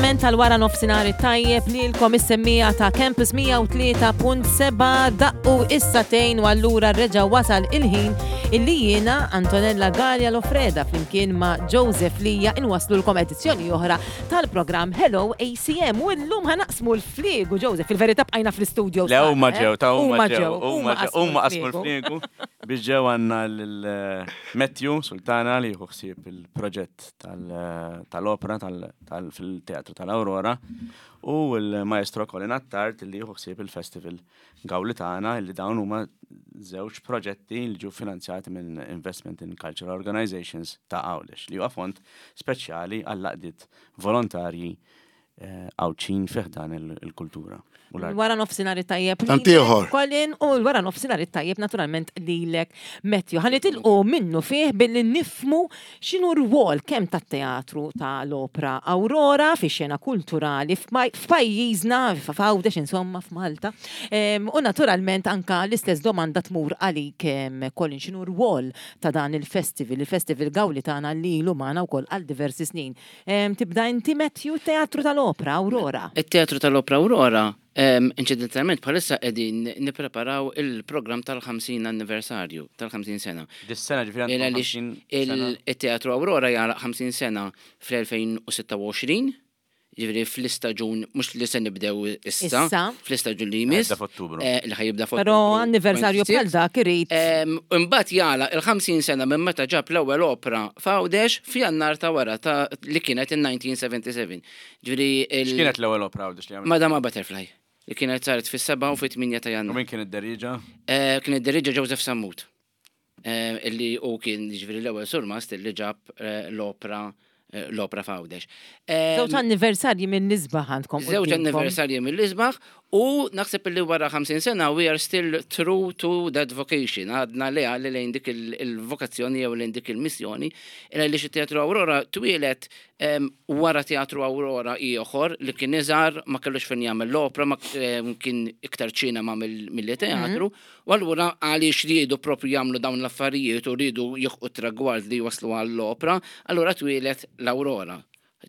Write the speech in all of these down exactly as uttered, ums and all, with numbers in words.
L-augurament tal-wara nofsinhar tajjeb lilkom is-semmiegħa ta' Campus mija u tlieta punt sebgħa. Daqqu is-sagħtejn u allura reġa' wasal il-ħin illi jiena, Antonella Gallia Lofreda, flimkien ma' Joseph Lija inwaslulkom edizzjoni oħra tal-programm Hello A C M u llum ħa naqsmu l-fliegu, Joseph, fil-verità bqajna fl-studio. Le, huma ġew, ta' huma ġew, huma ġew, huma qasmu l-fliegu biex ġew. Għandna l-Matthew Sultana li jieħu ħsieb il-proġett tal-opera fil-Teatru tal-Aurora u l-Maestro Colin Attard li jieħu ħsieb il-Festival Gawlitana, li dawn huma żewġ proġetti li ġew finanzjati minn Investment in Cultural Organizations ta' Għawdex, li huwa fond speċjali għall-għaqdiet volontarji eh, Għawdxin fi ħdan il-kultura u l-art. Wara nofsinhar tajjeb. Tant ieħor. Colin, u l-wara nofsinhar tajjeb naturalment lilek, Matthew. Ħa nitilqu minnu fih billi nifhmu x'inhu r-rwol kemm tat-teatru tal-opera Aurora fi xena kulturali f'pajjiżna, f'Għawdex, insomma f'Malta. Em, U naturalment anka l-istess domanda tmur għalik, em, Colin, x'inhu r-rwol ta' dan il-festival, il-Festival Gawlitana li ilu magħna wkoll għal diversi snin. Em, Tibda inti, Matthew, Teatru tal-Opera Aurora. Il-Teatru tal-Opera Aurora, um, inċidentalment bħalissa qegħdin nippreparaw il-programm tal-ħamsin anniversarju, tal-ħamsin sena. Dis-sena ġifieri Il għandkom għaliex ħamsin sena. il-Teatru Aurora jagħlaq ħamsin sena fl-elfejn u sitta u għoxrin, ġifieri fl-istaġun, mhux li se nibdew issa, Issa. fl-istaġun li jmiss. Jibda f'Ottubru. eh, Li ħa jibda f'Ottubru. Però anniversarju bħal dak irid. Em, Imbagħad jagħlaq il-ħamsin sena minn meta ġab l-ewwel opera f'Għawdex f'Jannar ta' wara ta' li kienet in-elf disa' mija u sebgħa u sebgħin. Ġifieri il- X'kienet l-ewwel opera Għawdex li għamil? Madama Butterfly, li kienet saret fis-sebgħa u fit-tmienja ta' U Jannar. min kien id-derieġa? Eh, Kien id-deriġa Joseph Sammut. Eh, Illi u kien ġifieri l-ewwel surmast li ġab eh, l-opera eh, l-opera f'Għawdex. Em, Żewġ anniversarji mill-isbaħ għandkom Żewġ quddiemkom. anniversarji mill-isbaħ u naħseb li wara ħamsin sena we are still true to that vocation. Għadna li għalli lejn dik il- il-vokazzjoni jew lejn dik il-missjoni. Illa li Teatru Aurora twieled em, wara Teatru Aurora ieħor li kien iżgħar, ma kellux fejn jagħmel l-opera, ma em, kien iktar ċinema mill- milli teatru. U allura għaliex riedu propju jagħmlu dawn l-affarijiet u riedu jilħqu tragward li waslu għall-opera, allura twieled l-Aurora.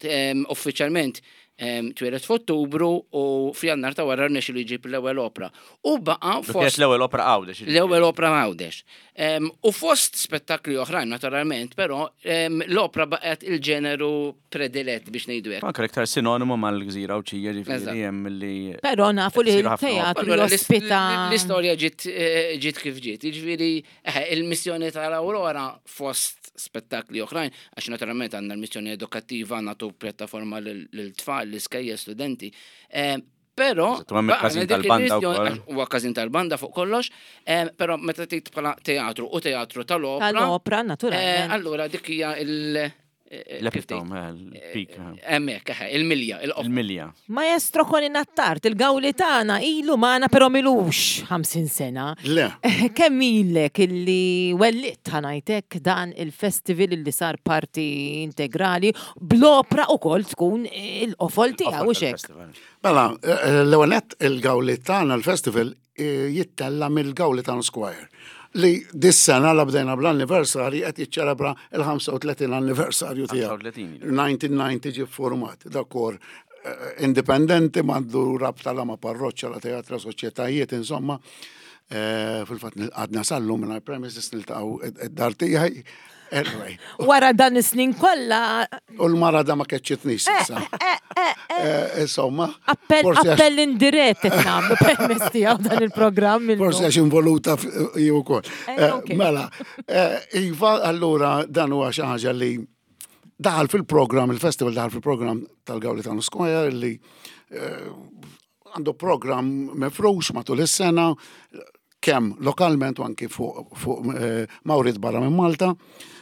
Em, Uffiċjalment em, twieled f'Ottubru u f'Jannar ta' wara rnexxielu li jġib l-ewwel opera. U baqa' Kienet fost l-ewwel opera Għawdex. L-ewwel opera Għawdex. Em, U fost spettakli oħrajn naturalment, però em, l-opera baqgħet il-ġeneru predilett, biex ngħidu hekk. Anke l-iktar sinonimu mal-gżira Għawdxija, ġifieri Eżatt. hemm li Però nafu li Isiru ħafna il-teatru Allura, l-ist- jospita. L-istorja ġiet eh, ġiet kif ġiet. Jiġifieri eh, il-missjoni tal-Aurora fost spettakli oħrajn, għax naturalment għandna l-missjoni edukattiva, nagħtu pjattaforma lil-tfal, l-iskejjel, studenti. Eh, Però, Eżatt, u hemm il-każin baqgħna dik tal-banda il-missjoni- wkoll. għax huwa każin tal-banda fuq kollox, eh, però meta tgħid bħala teatru u teatru tal-opera, Tal-opera, eh, naturalment. allura dik hija il- eh, kif L-epitome, tgħid? eh, il-peak. eh, Hemmhekk, eħe, il-milja, il-qofol. Il-milja. Maestro Colin Attard, il-Gawlitana ilu magħna però m'ilux ħamsin sena. Le. Kemm ilek illi wellidt, ħa ngħidlek, dan il-festival illi sar parti integrali bl-opra ukoll tkun il-qofol tiegħu, u hekk? Tal-festival. Mela, eh, l-ewwel nett il-Gawlitana, il-festival eh, jittella mill-Gawlitan Square, li dis-sena la bdejna bl-anniversary qed jiċċelebra il-ħamsa u tletin anniversarju tiegħu. ħamsa u tletin. elf disa' mija u disgħin ġie format, da kor eh, indipendenti, m'għandu rabta la ma' parroċċa, la teatra, soċjetajiet, insomma. Eh, Fil-fatt għadna sal-lum minn premises niltaqgħu id-dar tiegħi. Anyway, Wara dan is-snin kollha u l-mara da ma keċċitnix issa. Eh, Insomma, appell forsi għax- appell indirett qed nagħmlu permezz tiegħu dan il-programm illum. Forsi għax involuta f- ju wkoll. Eh, Eh, ok. Mela, eh, iva, allura dan huwa xi ħaġa li daħal fil-programm, il-festival daħal fil-programm tal-Gawlitano Square li eh, għandu programm mifrux matul is-sena, kemm lokalment u anki fuq fuq eh, mawrit barra minn Malta,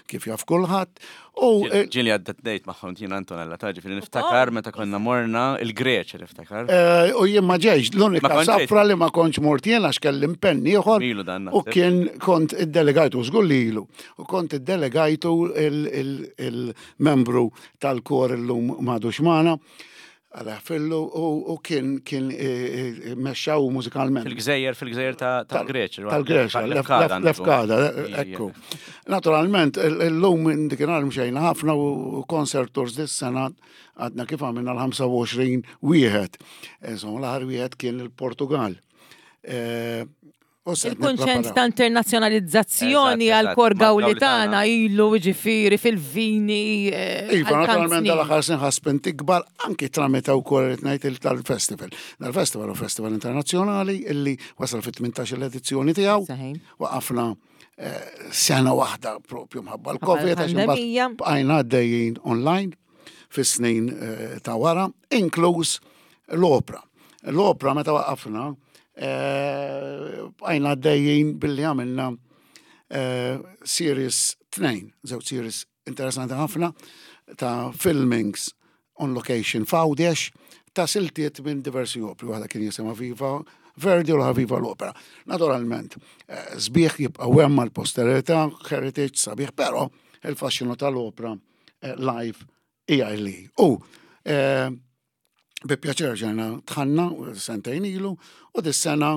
kif jaf kulħadd. U eh, Ġieli għaddejt magħhom tina, Antonella, ta' ġifieri niftakar meta konna morna il-Greċja, niftakar. Eh, U jien ma ġejx, Ma l-unika kontx ġejt. safra li ma kontx mort jien għax kelli impenn ieħor Ilu dan, u naħseb. kien kont iddelegajtu, żgur li ilu, u kont iddelegajtu il- il- il-membru tal-kor, illum m'għadux magħna. Alla fillu u kien kien mexxaw mużikalment. Fil-gżejjer, fil-gżejjer tal-Greċja. Tal-Greċja, Lefkada, ekku. Naturalment, illum dikinhar mxejna ħafna u concert tours dis-sena għadna kif għamilna l-ħamsa u għoxrin wieħed. Insomma, l-aħħar wieħed kien il-Portugal. Il-kunċent ta' internazzjonalizzazzjoni għal-kor Gawlitana ilu ġifiri fil-vini. Iva, naturalment dal-aħħar snin ħaspin tikbar anki tramita wkoll irid ngħid tal-festival. Dal-festival u festival internazzjonali illi wasal fit-tmintax-il edizzjoni tiegħu. Waqafna sena waħda propju mħabba l-Covid, għax imbagħad bqajna għaddejjin online fis-snin ta' wara, inkluż l-opra. L-opra meta waqafna bqajna għaddejjin billi għamilna series tnejn, żewġ series interessanti ħafna ta' filmings on location f'Għawdex ta' siltiet minn diversi opri, waħda kien jisimha Viva Verdi u l-oħra Viva l-Opera. Naturalment, sbieħ jibqa' hemm għall-posterità, heritage sabiħ, però il-faxxinu tal-opra live hija li. U bi pjaċir ġejna tħanna sentejn ilu u dis-sena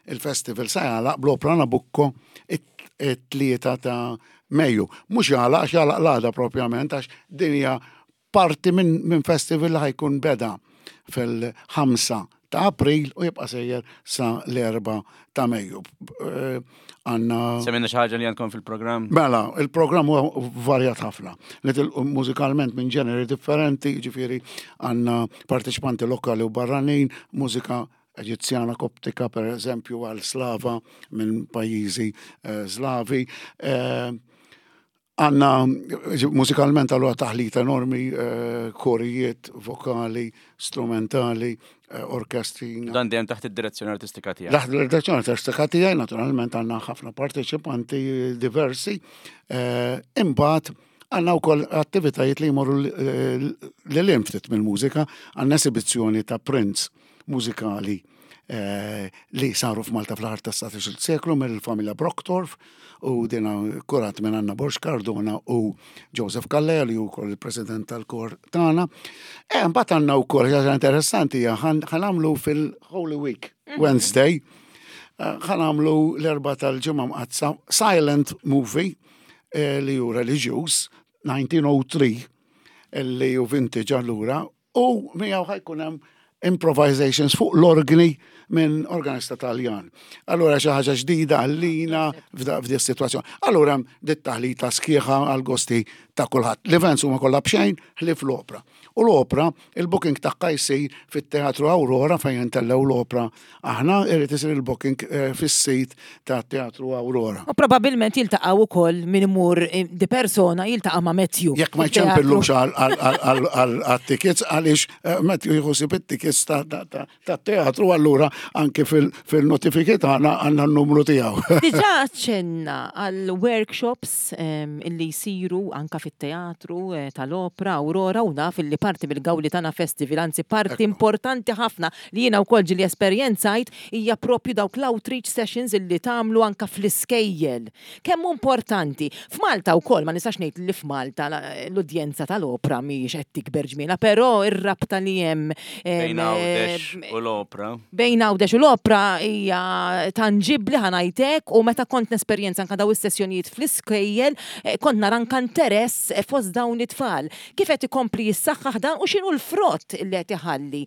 il-festival sa jagħlaq bl-opra Nabucco it-tlieta ta' Mejju. Mhux jagħlaq, għax jagħlaq l-għada propjament, għax din hija parti minn festival li ħajkun beda fil-ħamsa ta' April u jibqa' sejjer sa l-erba' ta' Mejju. Għanna. Semmilna xi ħaġa li għandkom fil-programm? Mela, il-programm huwa varjat ħafna. Nitilqu mużikalment minn ġeneri differenti, ġifieri għandna parteċipanti lokali u barranin, mużika Eġizzjana Koptika, per eżempju, għal Slava minn pajjiżi Slavi. Għanna mużikalment għallu taħlita enormi, korijiet, vokali, strumentali, orkestri. Dan dejjem taħt id-direzzjoni artistika tiegħek. Taħt id-direzzjoni artistika tiegħi, naturalment għandna ħafna parteċipanti diversi. Imbagħad għandna wkoll attivitajiet li jmorru lil hemm ftit mill-mużika, għandna esibizzjoni ta' prints mużikali li saru f'Malta fl-aħħar tas-satax-il seklu mill-familja Brockdorff u dina kurat minn Anna Borg Cardona u Joseph Calleja li wkoll il-president tal-kor tagħna. E mbagħad għandna wkoll ħaġa interessanti hija ħanamlu fil-Holy Week Wednesday, ħanamlu l-Erbgħa tal-Ġimgħa Mqaddsa silent movie li hu reliġjuż nineteen oh three li hu vintage allura u miegħu ħajkun hemm improvisations fuq l-organi minn organista Taljan. Allura xi ħaġa ġdida għallina f'di s-sitwazzjoni. Allura dit taħlita sħiħa għal gosti ta' kulħadd. L-events huma kollha b'xejn ħlief l-opra. U l-opra, il-booking tagħha jsir fit-Teatru Aurora fejn intellgħu l-opra. Aħna irid isir il-booking fis-sit ta' Teatru Aurora. U probabbilment jiltaqgħu wkoll min imur di persona jiltaqa' ma' Matthew. Jekk ma jċempillux għal-tickets għaliex Matthew jieħu sib it-tickets ta' teatru allura anke fil-notifiki tagħna għandna n-numru tiegħu. Diġà ċenna għal workshops illi jsiru anka fit-teatru tal-opra Aurora u naf illi parti mill-Gawlitana Festival, anzi parti importanti ħafna li jiena wkoll ġieli esperjenzajt hija propju dawk l-outreach sessions illi tagħmlu anka fl-iskejjel. Kemm hu importanti. F'Malta wkoll ma nistax ngħid li f'Malta l-udjenza tal-opra mhijiex qed tikber ġmiela, però ir-rabta li hemm bejn Għawdex u l-opra. Bejn Għawdex u l-opra hija tanġibbli ħanajtek u meta kont nesperjenza anka daw is-sessjonijiet fl-iskejjel kont nara anka interess fost dawn it-tfal. Kif qed ikompli jissaħħaħ dan u x'inhu l-frott li qed iħalli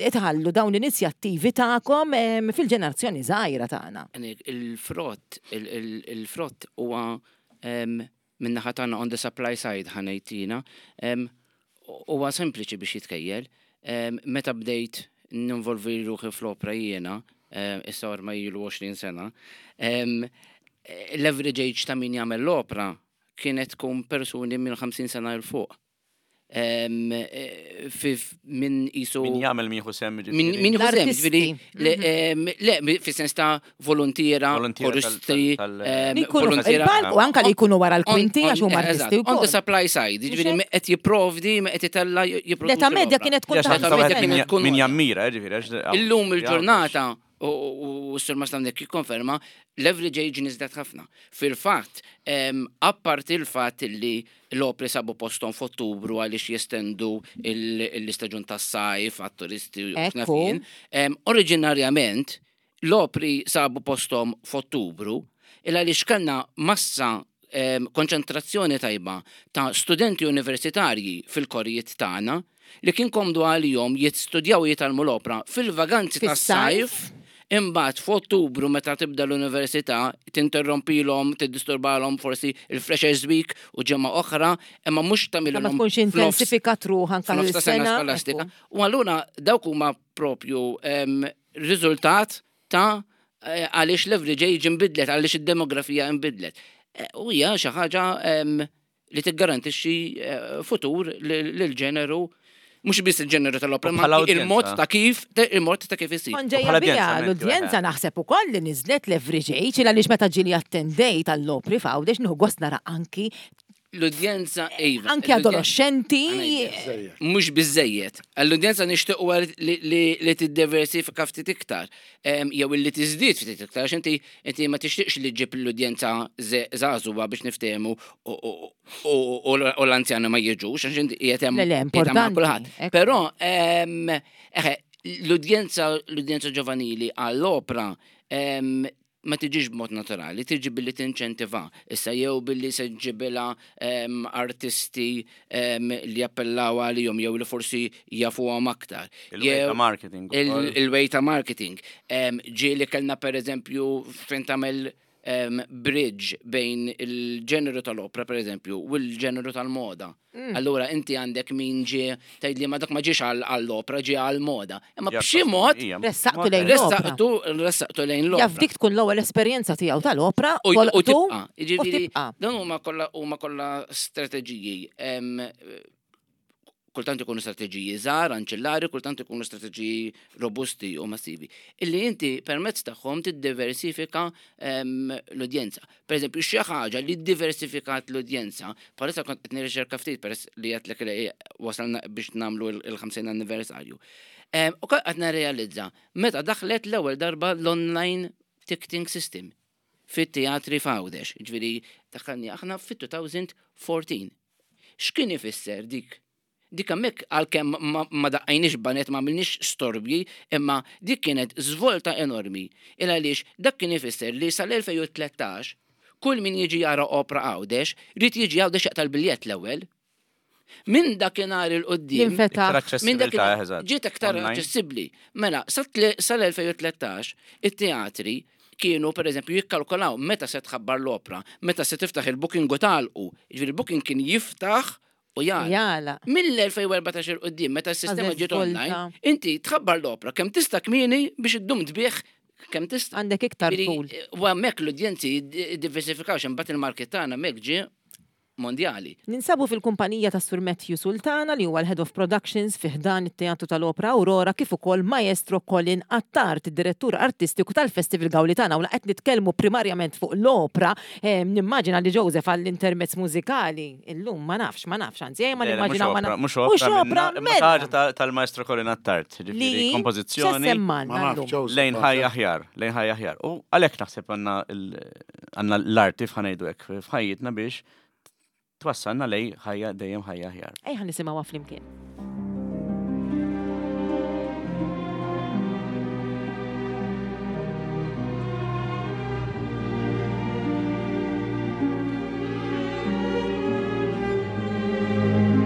itħallu dawn l-inizjattivi tagħkom fil-ġenerazzjoni żgħira tagħna? Il-frott, il-frott huwa min-naħa tagħna on the supply side ħanejtina, huwa sempliċi biex jitkejjel. Meta bdejt ninvolvi ruħi fl-opra jiena, issa ormai ilu għoxrin sena, l-average age ta' min jagħmel l-opra kienet tkun persuni minn ħamsin sena 'l fuq. Min jisu. Min jagħmel min jieħu sehem, ġifieri. Min jieħu sehem, ġifieri, le, fis-sens ta' volontiera, koristi, volontiera. Il-palku anka li jkunu wara l-kwinti għax huma artisti wkoll. On the supply side, ġifieri qed jipprovdi, qed itella' jipproduċi. L-età medja kienet tkun ta' Min jammira, ġifieri. Illum il-ġurnata u s-sur Mastamnek jikkonferma, l-average age niżlet ħafna. Fil-fatt, apparti il-fatt li l-opri sabu postom f'Ottubru għaliex jestendu l-istaġun tas-sajf għat-turisti u x'naf jien, oriġinarjament l-opri sabu postom f'Ottubru il għaliex kellna massa konċentrazzjoni tajba ta' studenti universitarji fil-korijiet tagħna li kien komdu għalihom jistudjaw jitgħallmu l-opra fil-vaganzi tas-sajf. Imbagħad f'Ottubru meta tibda l-università tinterrompilhom, tiddisturbalhom forsi il-Freshers Week u ġimgħa oħra, imma mhux tagħmilhom. Ma tkunx intensifikat ruħha anke l-sena skolastika. U allura dawk huma propju riżultat ta' għaliex l-average age inbidlet, għaliex id-demografija inbidlet. U hija xi ħaġa li tiggarantixxi futur lill-ġeneru, mhux biss il-ġeneru tal-opra, ma il-mod ta' kif, il-mod ta' kif isir. Ġejja bija l-udjenza naħseb ukoll li niżlet l-average age, għaliex meta ġieli attendejt għall-opri f'Għawdex nieħu gost nara anki l-udjenza, iva. Anki adolescenti. Mhux biżejjed. L-udjenza nixtiequ li tiddiversifika ftit iktar, jew li tiżdied ftit iktar, għax inti inti ma tixtieqx li ġġib l-udjenza żagħżugħa biex niftehmu u l-anzjani ma jiġux, għax inti qiegħed hemm kulħadd. Però l-udjenza l-udjenza ġovanili għall-opra ma tiġix b'mod naturali, tiġi billi tinċentiva. Issa jew billi se ġibilha artisti li jappellaw għalihom jew li forsi jafuhom aktar. Il-way ta' marketing. Il-way ta' marketing. Ġieli kellna per eżempju fejn tagħmel bridge bejn il-ġeneru tal-opra per eżempju u l-ġeneru tal-moda. Allura inti għandek min ġie tgħid li ma dak ma ġiex għall-opra, ġie għall-moda. Imma b'xi mod ressaqtu lejn l-opra. Ressaqtu lejn l-opra. Jaf dik tkun l-ewwel esperjenza tiegħu tal-opra u tibqa'. Jiġifieri dawn huma kollha huma kollha strateġiji. Kultant ikunu strateġiji żgħar, anċillari, kultant ikunu strateġiji robusti u massivi. Illi inti permezz tagħhom tiddiversifika l-udjenza. Per eżempju, xi ħaġa li ddiversifikat l-udjenza, bħalissa kont qed nirriċerka ftit peress li għedtlek li wasalna biex nagħmlu il-ħamsin anniversarju. U qed nirrealizza meta daħlet l-ewwel darba l-online ticketing system fit-teatri f'Għawdex, ġifieri daħħalni aħna fit-two thousand fourteen. X'kien ifisser dik? Dik hemmhekk għalkemm ma daqqajniex banet, ma għamilniex storbji, imma dik kienet żvolta enormi. Il għaliex dak kien ifisser li sal-elfejn u tlettax kull min jiġi jara opra Għawdex, rid jiġi Għawdex jaqta' l-biljett l-ewwel. Minn dakinhar il-qudiem, Jinfetaħ. Iktar minn dakinhar aċċessibilità, eżatt. ġiet aktar Online. aċċessibbli. Mela, sal-elfejn u tlettax it-teatri kienu per eżempju jikkalkolaw meta se tħabbar l-opra, meta se tiftaħ il-booking u tagħlqu. Jiġifieri il-booking kien jiftaħ u jgħala. Jgħala. Mill-elfejn u erbatax il quddiem, meta s-sistema Għażel ġiet online, volta. inti tħabbar l-opra kemm tista' kmieni biex iddum tbieħ kemm tista'. Għandek iktar Ġifieri, tul. U hemmhekk l-udjenzi diversifikaw imbagħad il-market tagħna hemmhekk ġie mondjali. Ninsabu fil-kumpanija ta' Sur Matthew Sultana li huwa l-Head of Productions fi ħdan it-Teatru tal-Opra Aurora kif ukoll Maestro Colin Attard, id-direttur artistiku tal-Festival Gawlitana. U qed nitkellmu primarjament fuq l-opra, eh, nimmaġina li Joseph għall-intermezz mużikali illum ma nafx, ma nafx, anzi, ejja ma Le, le, mhux nimmaġinaw ma opra, nafx. mhux Mhux opra opra, minna, imma mela. ħaġa ta- tal-Maestro Colin Attard, ġifieri Li kompożizzjoni x'semmalna Ma nafx, llum? Joseph, lejn ħajja aħjar, lejn ħajja aħjar. U għalhekk naħseb għandna l-, għandna l-arti f'ħanejdu hekk f'ħajjitna biex twassalna lej ħajja dejjem ħajja aħjar. Ejja nisimgħuha flimkien. Thank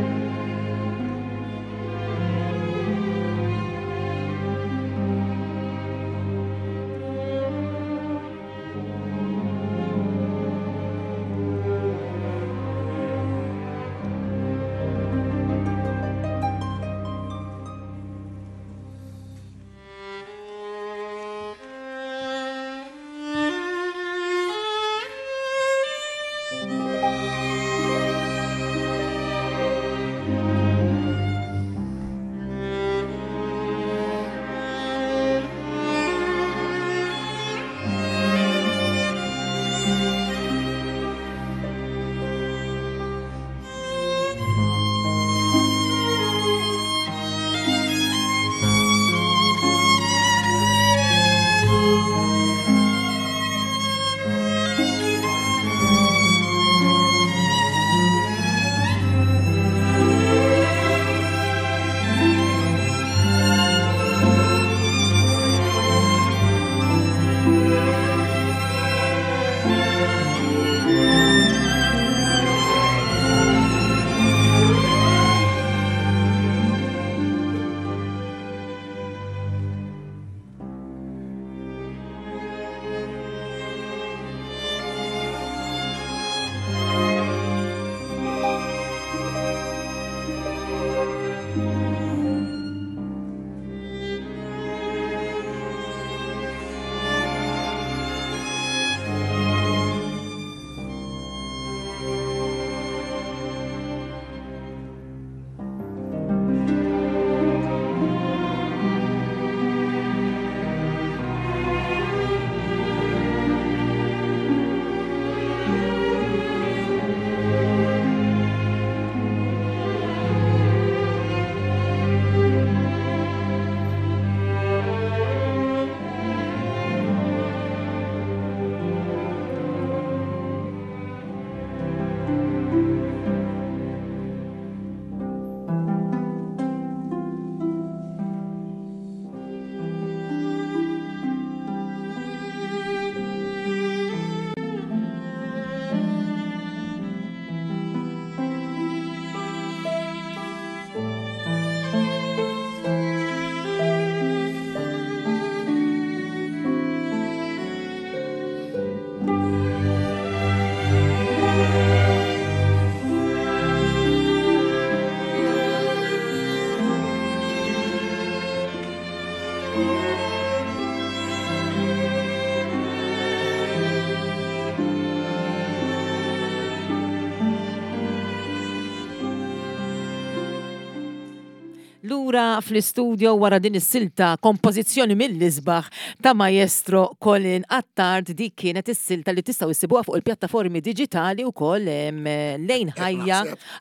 Lura fl-istudio wara din is-silta kompożizzjoni mill-isbaħ ta' Maestro Colin Attard. Dik kienet is-silta li tistgħu issibuha fuq il-pjattaformi diġitali wkoll em, lejn ħajja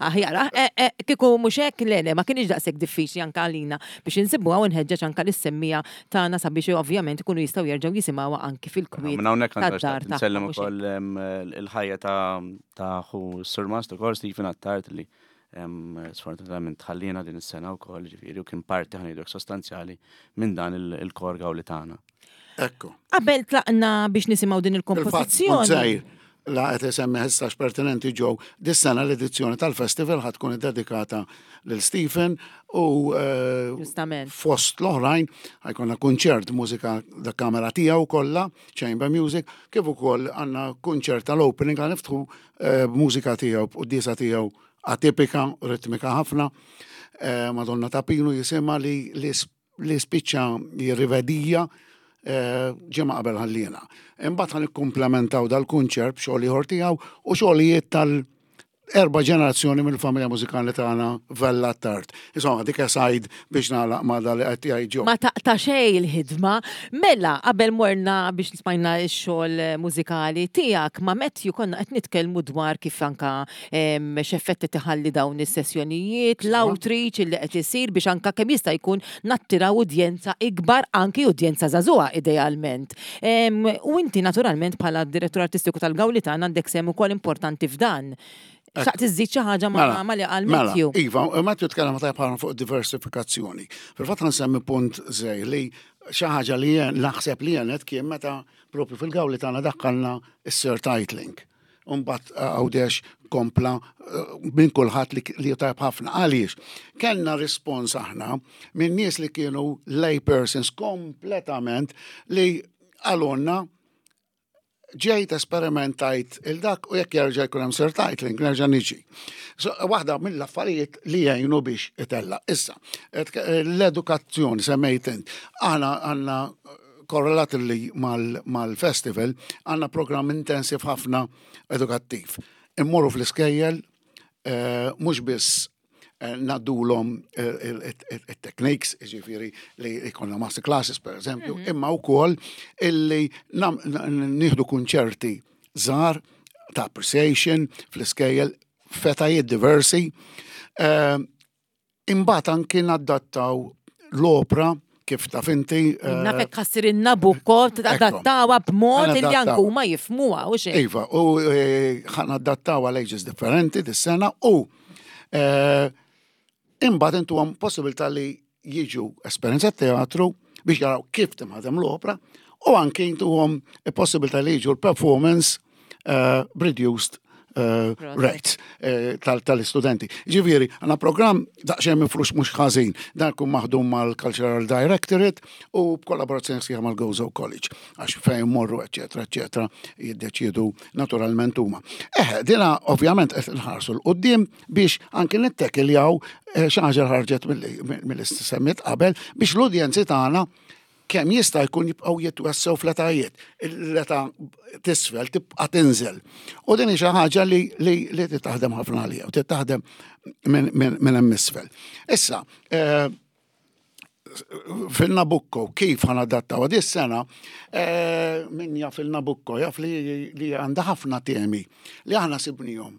aħjar. Eh, eh, Kieku mhux hekk, le, le, ma kienx daqshekk diffiċli anke għalina biex insibuha, u nħeġġeġ anke lis-semmiegħa tagħna sabiex ovvjament ikunu jistgħu jerġgħu jisimgħuha anki fil-kwiet Minn hawnhekk għandha tad-dar tagħhom, nsellem mhux hekk? ukoll em, il-ħajja ta' ta' ħu Surmast ukoll, Stephen Attard, li em, sfortunatament ħallina din is-sena wkoll, ġifieri, u kien parti, ħa ngħidu, sostanzjali minn dan il- il-kor Gawlitana. Ekku. Qabel tlaqna biex nisimgħu din Il-fatt, il-kompożizzjoni. żgħir, la qed isemmi ħessax pertinenti ġew, dis-sena l-edizzjoni tal-festival ħa tkun dedikata lil Stephen u eh, Ġustament. fost l-oħrajn ħa jkollna kunċert mużika da kamera tiegħu kollha, chamber music, kif ukoll għandna kunċert tal-opening, ħa niftħu eh, b'mużika tiegħu, b'quddiesa tiegħu atipika, ritmika ħafna. Eh, Madonna ta' Pinu jisimha, li li li spiċċa jirrivedija eh, ġimgħa qabel ħallina. Imbagħad ħa nikkumplementaw dal-kunċert b'xogħol ieħor tiegħu u xogħlijiet tal- erba ġenerazzjoni mill-familja mużikali tagħna Vella Attard. Insomma, dik aside biex nagħlaq ma dal li qed jgħid ġo. Ma taqta xej il-ħidma. Mela, qabel morna biex smajna x-xogħol mużikali tiegħek ma' Matthew, konna qed nitkellmu dwar kif anka em, x'effetti tħalli dawn is-sessjonijiet, l-outreach li qed isir biex anka kemm jista' jkun nattiraw udjenza ikbar, anki udjenza żagħżugħa idealment. Em, U inti naturalment bħala direttur artistiku tal-Gawlitan għandek sehem ukoll importanti f'dan. Xtaqt iżżid xi ħaġa ma' Mela, ma li qal Mela, Matthew. Iva, Matthew tkellem tajjeb ħafna fuq diversifikazzjoni. Fil-fatt ħa nsemmi punt żgħir li xi ħaġa li jen- naħseb li jenet kien meta propju fil-Gawli tagħna daħħalna is-surtitling. Umbat Għawdex kompla eh, minn kulħadd li, li tajb ħafna. Għaliex? Kellna rispons aħna minn nies li kienu lay persons kompletament li qalulna, "Ġejt, esperimentajt il-dak, u jekk jerġa' jkun hemm surtitling nerġa' niġi." So, waħda mill-affarijiet li jgħinu biex itella. Issa, et- l-edukazzjoni semmejt int. Aħna għandna korrelat li mal-festival għandna program intensiv ħafna edukattiv. Immorru fl-iskejjel, eh, mhux biss eh, ngħaddulhom il-techniques, ġifieri li jkollna master classes per eżempju, imma wkoll illi nam- n- nieħdu kunċerti żgħar ta' appreciation fl-iskejjel f'etajiet diversi. Eh, Imbagħad anki nadattaw l-opra, kif taf inti. eh, Nafek ħa ssir in-Nabucco, tadattawa b'mod li Ħanadattaw. anke huma jifhmuha u xejn. Iva, u eh, ħa nadattaw għal ages differenti dis-sena u eh, imbagħad intuhom possibilità li jiġu esperjenza teatru biex jaraw kif tinħadem l-opra u anke intuhom possibilità li jiġu l-performance eh, reduced uh, rates eh, tal- tal-istudenti. Ġifieri, għandna program daqsxejn mifrux mhux ħażin, dan kun maħdum mal-Cultural Directorate u b'kollaborazzjoni sħiħa mal-Gozo College, għax fejn morru, eccetera, eccetera, jiddeċiedu naturalment huma. Eh, dina ovvjament qed nħarsu 'l quddiem biex anki nittekiljaw eh, xi ħaġa ħarġet mill-semmiet qabel biex l-udjenzi tagħna kemm jista' jkun jibqgħu jitwessew fl-etajiet. L-età t'isfel tibqa' tinżel. U din hi xi ħaġa li li li titaħdem ħafna għalija u titaħdem minn min, min hemm isfel. Issa, eh, fil-Nabucco, kif ħa nadattaw di sena, eh, min jaf il-Nabucco, jaf li, li għandha ħafna temi li aħna sibnihom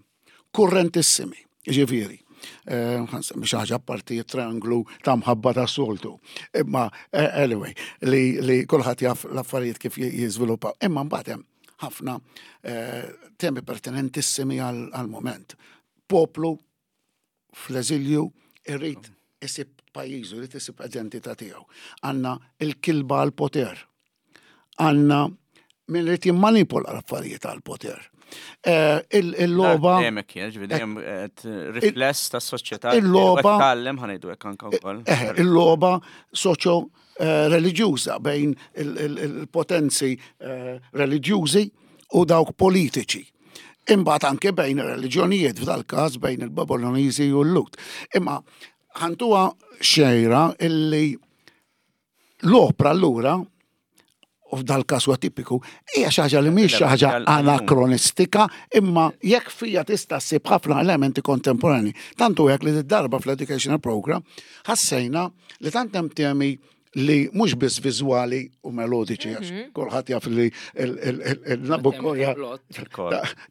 kurrentissimi, ġifieri. Eh, ħa nsemmi xi ħaġa parti trianglu ta' mħabba ta' soltu. Imma, eh, anyway, li, li kulħadd jaf l-affarijiet kif jiżviluppaw. Imma mbagħad hemm ħafna eh, temi pertinentissimi għal-moment. Poplu fl-eżilju irrid isib pajjiżu, irid isib identità tiegħu. Għandna il-kilba għal-poter. Għandna min irid jimmanipola l-affarijiet għal-poter. Eh, il-logħba. Dejjem kien, ġifieri dejjem qed rifless tas-soċjetà. Il-logħba. Tgħallem, ħa ngħidu hekk, anke wkoll. Eh, il-logħba soċjo eh, reliġjuża bejn il-potenzi reliġjużi u dawk politiċi. Imbagħad anke bejn ir-reliġjonijiet, f'dal każ bejn il-Babiloniżi u l-Lhud. Imma ħa ntuha xejra illi l-opra allura u f'dal-każ huwa tipiku, hija xi ħaġa li mhix xi ħaġa anakronistika, imma jekk fija tista' ssib ħafna elementi kontemporani. Tantu hekk li darba fl-educational program ħassejna li tant hemm temi li mhux biss viżwali u melodiċi, għax kulħadd jaf li il-Nabucco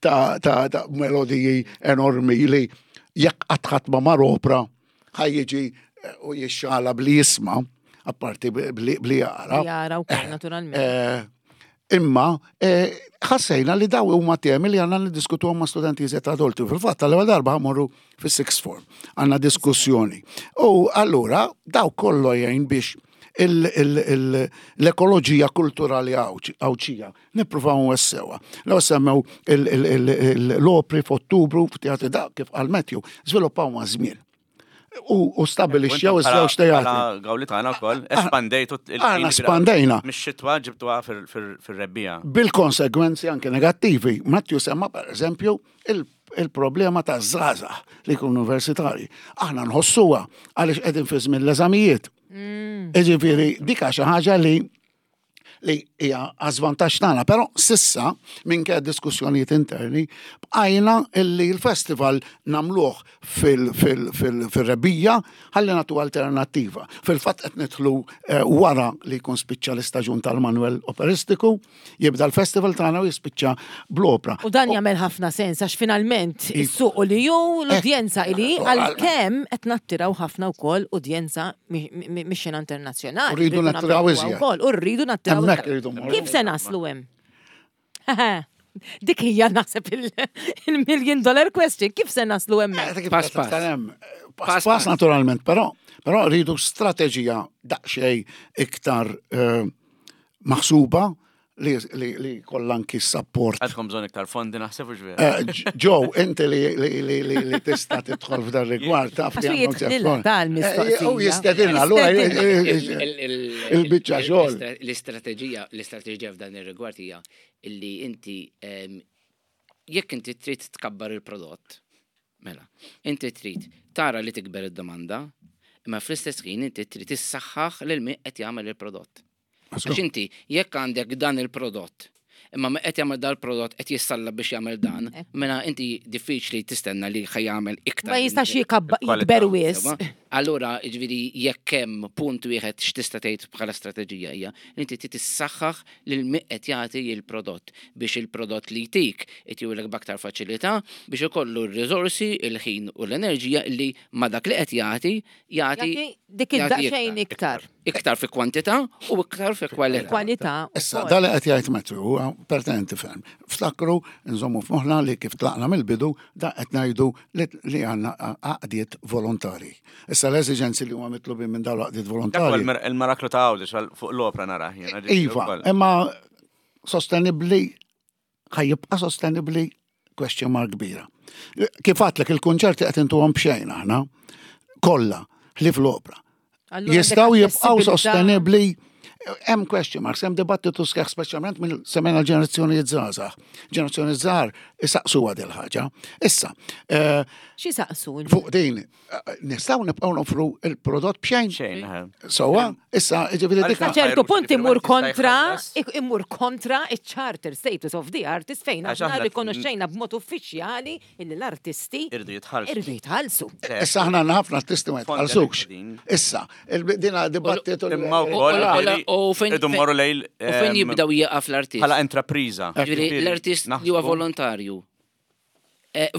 ta' ta' melodiji enormi li jekk qatt ħadd ma mar opra ħa jiġi u jixxala bli jisma', apparti bli jara. Jara wkoll naturalment. Imma ħassejna li daw huma temi li għandna niddiskutuhom ma' studenti iżjed adulti. Fil-fatt tal-ewwel darba ħa mmorru fis-sixth form. Għandna diskussjoni. U allura daw kollu jgħin biex l-ekoloġija kulturali Għawdxija nippruvaw nwessewha. Law semmew l-opri f'Ottubru f'teatri da kif qal Matthew, żviluppaw ma' żmien. U stabilixxew iż-żewġ teatri. Gawlitana wkoll, espandejtu Aħna espandejna. Mix-xitwa ġibtuha fir-rebbija. Bil-konsegwenzi anke negattivi. Matthew semma per eżempju il-problema ta' żgħażagħ li jkunu universitari. Aħna nħossuha għaliex qegħdin fi żmien l-eżamijiet. Jiġifieri dik xi ħaġa li li hija għażvantaġġ tagħna, però s'issa minkejja diskussjonijiet interni bqajna illi l-festival nagħmluh fil-rebbija ħalli nagħtu alternattiva. Fil-fatt qed nidħlu wara li jkun spiċċa l-istaġun tal-Manuel Operistiku, jibda l-festival tagħna u jispiċċa bl-opra. U dan jagħmel ħafna sens għax finalment is-suq li ju l-udjenza ili għalkemm qed nattiraw ħafna wkoll udjenza mix-xena internazzjonali. U rridu nattiraw iżjed. U rridu nattiraw. Kif se naslu hemm? Dik hija naħseb il-million dollar question. Kif se naslu hemm? Pass pass. Pass pass naturalment, però però rridu strateġija daqsxejn iktar maħsuba li li kollha anki support. Għandkom bżonn iktar fondi naħseb u ġvera. Joe, inti li li li li tista' tidħol f'dan rigward taf li għandhom tal-mistoqsija. U jistedinna allura il-biċċa xogħol. L-istrateġija l-istrateġija f'dan ir-rigward hija illi inti jekk inti trid tkabbar il-prodott, mela, inti trid tara li tikber id-domanda, imma fl-istess ħin inti trid issaħħaħ lil min qed jagħmel il-prodott. Għax inti, jekk għandek dan il-prodott, imma ma qed jagħmel dal-prodott qed jissalla biex jagħmel dan, mela inti diffiċli tistenna li ħa jagħmel iktar. Ma jistax jikber wisq. Allura, jiġifieri jekk hemm punt wieħed x'tista' tgħid bħala strateġija hija li inti trid tissaħħaħ lil min qed jagħti il-prodott biex il-prodott li jtik itihulek b'aktar faċilità biex ikollu r-riżorsi, il-ħin u l-enerġija li ma dak li qed jagħti jagħti dik id-daqsxejn iktar. Iktar fi kwantità u iktar fi kwalità. Kwalità. Issa, da li qed jgħid Matthew huwa pertinenti ferm. Ftakru, nżommu f'moħħna li kif tlaqna mill-bidu da qed ngħidu li għandna għaqdiet volontari. Issa l-eżiġenzi li huma mitlubin minn dawn l-għaqdiet volontari. Dak il-maraklu ta' Għawdex fuq l-opra nara jiena. Iva, imma sostenibbli ħa jibqa' sostenibbli question mark kbira. Kif għadtlek il-kunċerti qed intuhom b'xejn aħna kollha ħlief l-opra. Jistgħu jibqgħu sostenibbli. Hemm question marks, hemm dibattitu sħiħ speċjalment mill semmejna l-ġenerazzjoni żgħażagħ. Ġenerazzjoni żgħar isaqsuha dil ħaġa. Issa, xi saqsu? Fuq din, nistgħu nibqgħu nofru il-prodott b'xejn. Xejn. Sewwa, issa jiġifieri dik. Sa ċertu punt imur kontra, imur kontra iċ-charter status of the artist fejn aħna rikonoxxejna b'mod uffiċjali illi l-artisti irdu jitħallsu. Irdu jitħallsu. Issa aħna għandna ħafna artisti ma jitħallsux. Issa, dina dibattitu. Imma wkoll U fejn u fejn jibdaw jieqaf l-artist? Bħala intrapriża. Ġifieri l-artist li huwa volontarju.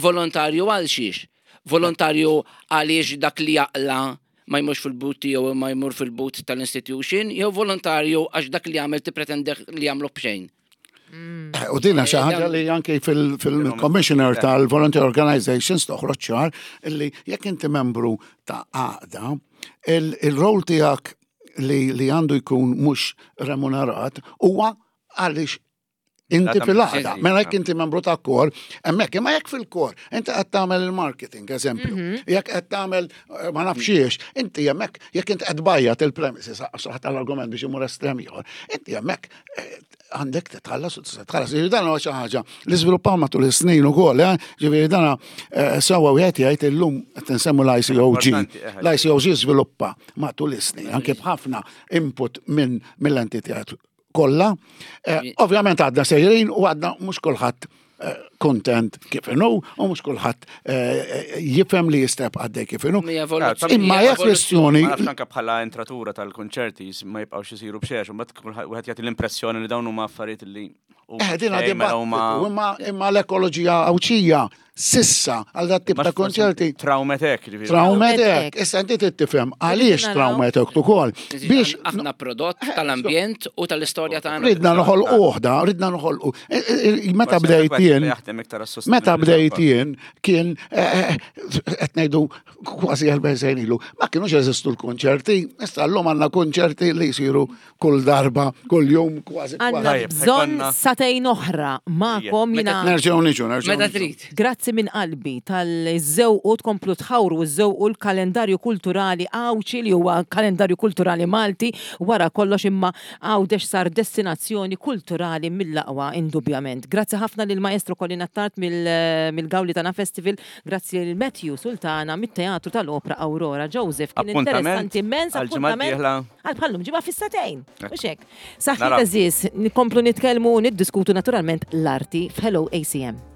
Volontarju għal xiex? Volontarju għaliex dak li jaqla ma jmurx fil-but tiegħu ma jmur fil-but tal-institution, jew volontarju għax dak li jagħmel tipretende li jagħmlu b'xejn. U dina xi ħaġa li anke fil-commissioner tal-Volunteer Organizations toħroġ ċar illi jekk inti membru ta' għaqda, il-rol tiegħek li li għandu jkun mhux remunerat huwa għaliex inti fil-għaqda. Mela jekk inti membru ta' kor, hemmhekk imma jekk fil-kor, inti qed tagħmel il-marketing, eżempju. Jekk qed tagħmel ma nafx inti hemmhekk jekk inti qed bajjat il-premises, saħ tal-argument biex imur estrem ieħor, inti hemmhekk għandek titħallas u tista' tħallas. Jiġifieri dan huwa xi ħaġa li żviluppaw matul is-snin ukoll, ġifieri dan sewwa wieħed jgħid illum qed insemmu l-I C O G. L-I C O G żviluppa matul is-snin anke b'ħafna input minn mill-entità kollha. Eh, Ovvjament għadna sejrin u għadna mhux kulħadd eh, kontent kif inhu u mhux kulħadd eh, jifhem li jista' jibqa' għaddej kif inhu. Hija evoluzzjoni. Imma hija kwestjoni Ma nafx anke bħala entratura tal-konċerti jis- ma jibqgħux isiru b'xejn, u mbagħad kulħadd wieħed jagħti l-impressjoni li dawn huma affarijiet li huma Eh, din xejn, mela huma dibattitu, imma imma l-ekoloġija Għawdxija sissa għal dat tip Ma ta' konċerti Traumetek, ġifieri. Traumetek, Traumetek. issa inti trid tifhem għaliex naraw. traumetek ukoll. Biex aħna prodott tal-ambjent u tal-istorja tagħna. ridna noħolqu oħda, ridna noħolqu. E, e, e, Meta Forsi bdejt anke jien, jaħdem iktar għas meta sostenibilità bdejt wkoll. jien, kien eh, eh, qed ngħidu kważi erbgħin sena ilu, ma kienux jeżistu l-konċerti, issa llum għandna konċerti li jsiru kull darba, kull jum, kważi Għanna kważi. Tajjeb, bżonn ħajkonna- sagħtejn oħra magħkom jiena. Nerġgħu niġu, nerġgħu. Meta niġu. trid. Grazzi minn qalbi tal-żewqu tkomplu tħawru żewqu l-kalendarju kulturali Għawdxi li huwa kalendarju kulturali Malti wara kollox, imma Għawdex sar destinazzjoni kulturali mill-aqwa indubjament. Grazzi ħafna lil maestro Colin Attard mill-Gaulitana Festival, grazzi lil Matthew Sultana mit-Teatru tal-Opra Aurora. Joseph, kien Appuntament interessanti immens. għal-ġimgħa Appuntament d-dieħla. għal bħallum ġimgħa fis-sagħtejn. Mhux hekk. Saħħit Naraw. għeżież, nikomplu nitkellmu u niddiskutu naturalment l-arti f'Hello A C M.